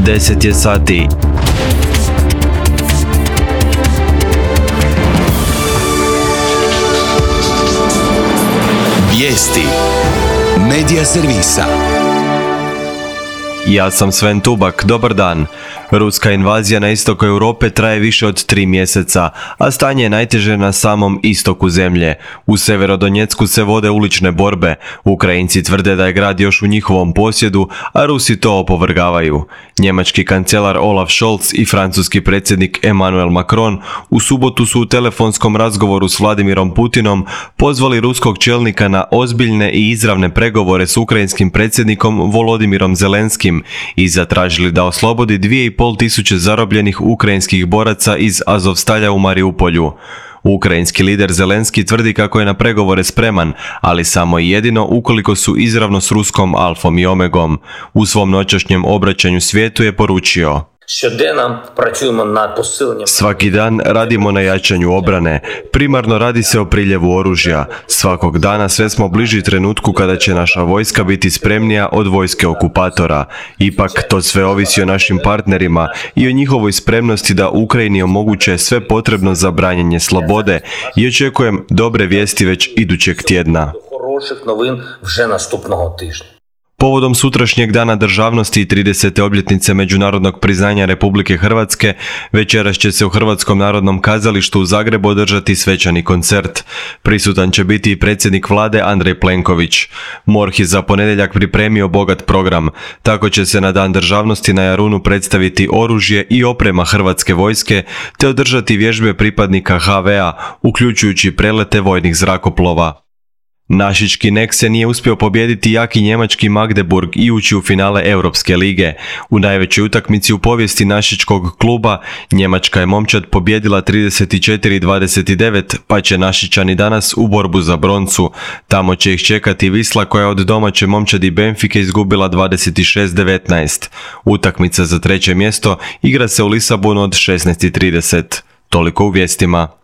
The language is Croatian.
10 je sati. Vijesti Medija servisa. Ja sam Sven Tubak, dobar dan. Ruska invazija na istoku Europe traje više od 3 mjeseca, a stanje je najteže na samom istoku zemlje. U Severodonjecku se vode ulične borbe. Ukrajinci tvrde da je grad još u njihovom posjedu, a Rusi to opovrgavaju. Njemački kancelar Olaf Scholz i francuski predsjednik Emmanuel Macron u subotu su u telefonskom razgovoru s Vladimirom Putinom pozvali ruskog čelnika na ozbiljne i izravne pregovore s ukrajinskim predsjednikom Volodimirom Zelenskim i zatražili da oslobodi 2.500 zarobljenih ukrajinskih boraca iz Azovstalja u Mariupolju. Ukrajinski lider Zelenski tvrdi kako je na pregovore spreman, ali samo i jedino ukoliko su izravno s ruskom alfom i omegom. U svom noćašnjem obraćanju svijetu je poručio: svaki dan radimo na jačanju obrane. Primarno radi se o priljevu oružja. Svakog dana sve smo bliži trenutku kada će naša vojska biti spremnija od vojske okupatora. Ipak to sve ovisi o našim partnerima i o njihovoj spremnosti da Ukrajini omoguće sve potrebno za branjenje slobode i očekujem dobre vijesti već idućeg tjedna. Povodom sutrašnjeg dana državnosti i 30. obljetnice međunarodnog priznanja Republike Hrvatske, večeras će se u Hrvatskom narodnom kazalištu u Zagrebu održati svečani koncert. Prisutan će biti i predsjednik vlade Andrej Plenković. MORH je za ponedjeljak pripremio bogat program. Tako će se na dan državnosti na Jarunu predstaviti oružje i oprema Hrvatske vojske, te održati vježbe pripadnika HV-a, uključujući prelete vojnih zrakoplova. Našički NEK se nije uspio pobijediti jaki njemački Magdeburg i ući u finale Europske lige. U najvećoj utakmici u povijesti našičkog kluba njemačka je momčad pobijedila 34-29, pa će Našičani danas u borbu za broncu. Tamo će ih čekati Wisla koja je od domaće momčadi Benfike izgubila 26-19. Utakmica za treće mjesto igra se u Lisabonu od 16:30. Toliko u vijestima.